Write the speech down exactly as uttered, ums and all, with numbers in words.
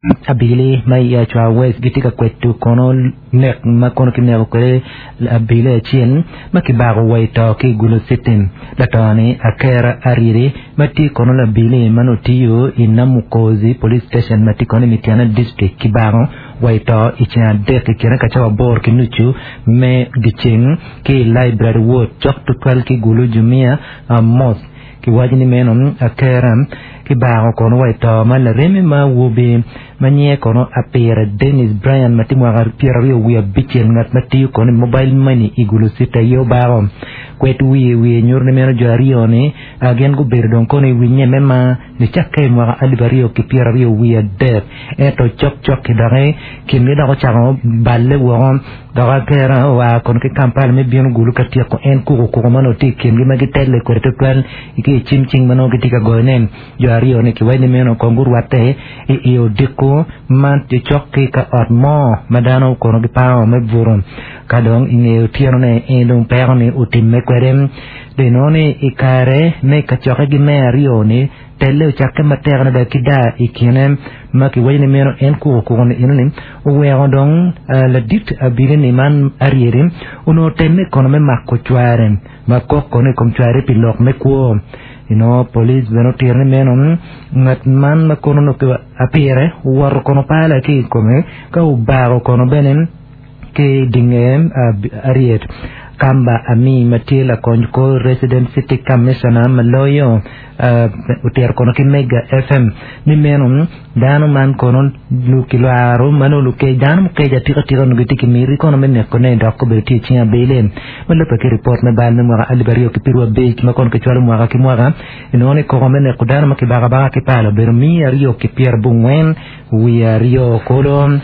Abili ma i Achwa West gitye ka kweto kono nek ma kono kineko kwede abili acel ma kibako wa i to ki i Gulu City. Lato-ni Akera Ariri ma tye kono labili ma nongo tiyo i Namukozi Police Station ma tye kono i Mityana District kibako wa i to i ceng adek i kine ka cawa aboro ki nucu me dyeceng ki i Library Ward cok tutwal ki Gulu Jumia Mosque. Kiwaco ni meno Akera kibako kono wa i to ma lareme ma awobi ma nyinge kono Apire Dennis Brian ma tye mwaka pyeraryo wiye abicel ngat ma tiyo kono i mobile money i Gulu City aye obako. Kwed wiye wiye nyuto ni meno jo aryo ni gin gubedo dong kono i winye me mar nicakke i mwaka alip aryo ki pyeraryo wiye adek ento cokcok-ki doki kingi dok ocako balle woko dok Akera oa kono ki Kampala me bino Gulu ka tyeko en kukukuku ma onongo tye i kingi ma gitelle kwede tutwal ki i cim cing ma nongo gitye ka goyone. Jo aryo ni kiwaco ni meno kong gurwatte i i odiko ma tye cok ki ka ot mo ma dano kono gipango me buto ka dong i nge otyeno-ne en dong peko ni otimme kwede. Dong inongo ni i kare me kacokkegi me aryo ni telle ocakke matek adada ki daa i kine ma kiwaco ni meno en kukukuku ni enoni oweko dong ladit abili-ni man Arieri onongo temme kono me mako cware ma kok kono i kom cware pi lok me kwo. Inongo police bene otito ni meno ngat man ma kono onongo apire owoto kono pala ki i kome ka obako kono bene ki dinge Ariet Kamba Ami ma tye lakony kor Resident City Commissioner ma loyo otito kono ki Mega F M ni meno dano man kono kilwaro ma nongo lukec dano mukec atika tika onongo gitye ki miti kono me nekone dok obedo tye i cing abili ma lubbe ki ripot me bal me mwaka alip aryo ki pyeraryo abic ma kono kicwalo mwaka ki mwaka inongo ni koko me neko dano ma kibako abaka ki pala obedo miya aryo ki pyerabongwen wiye aryo kulu.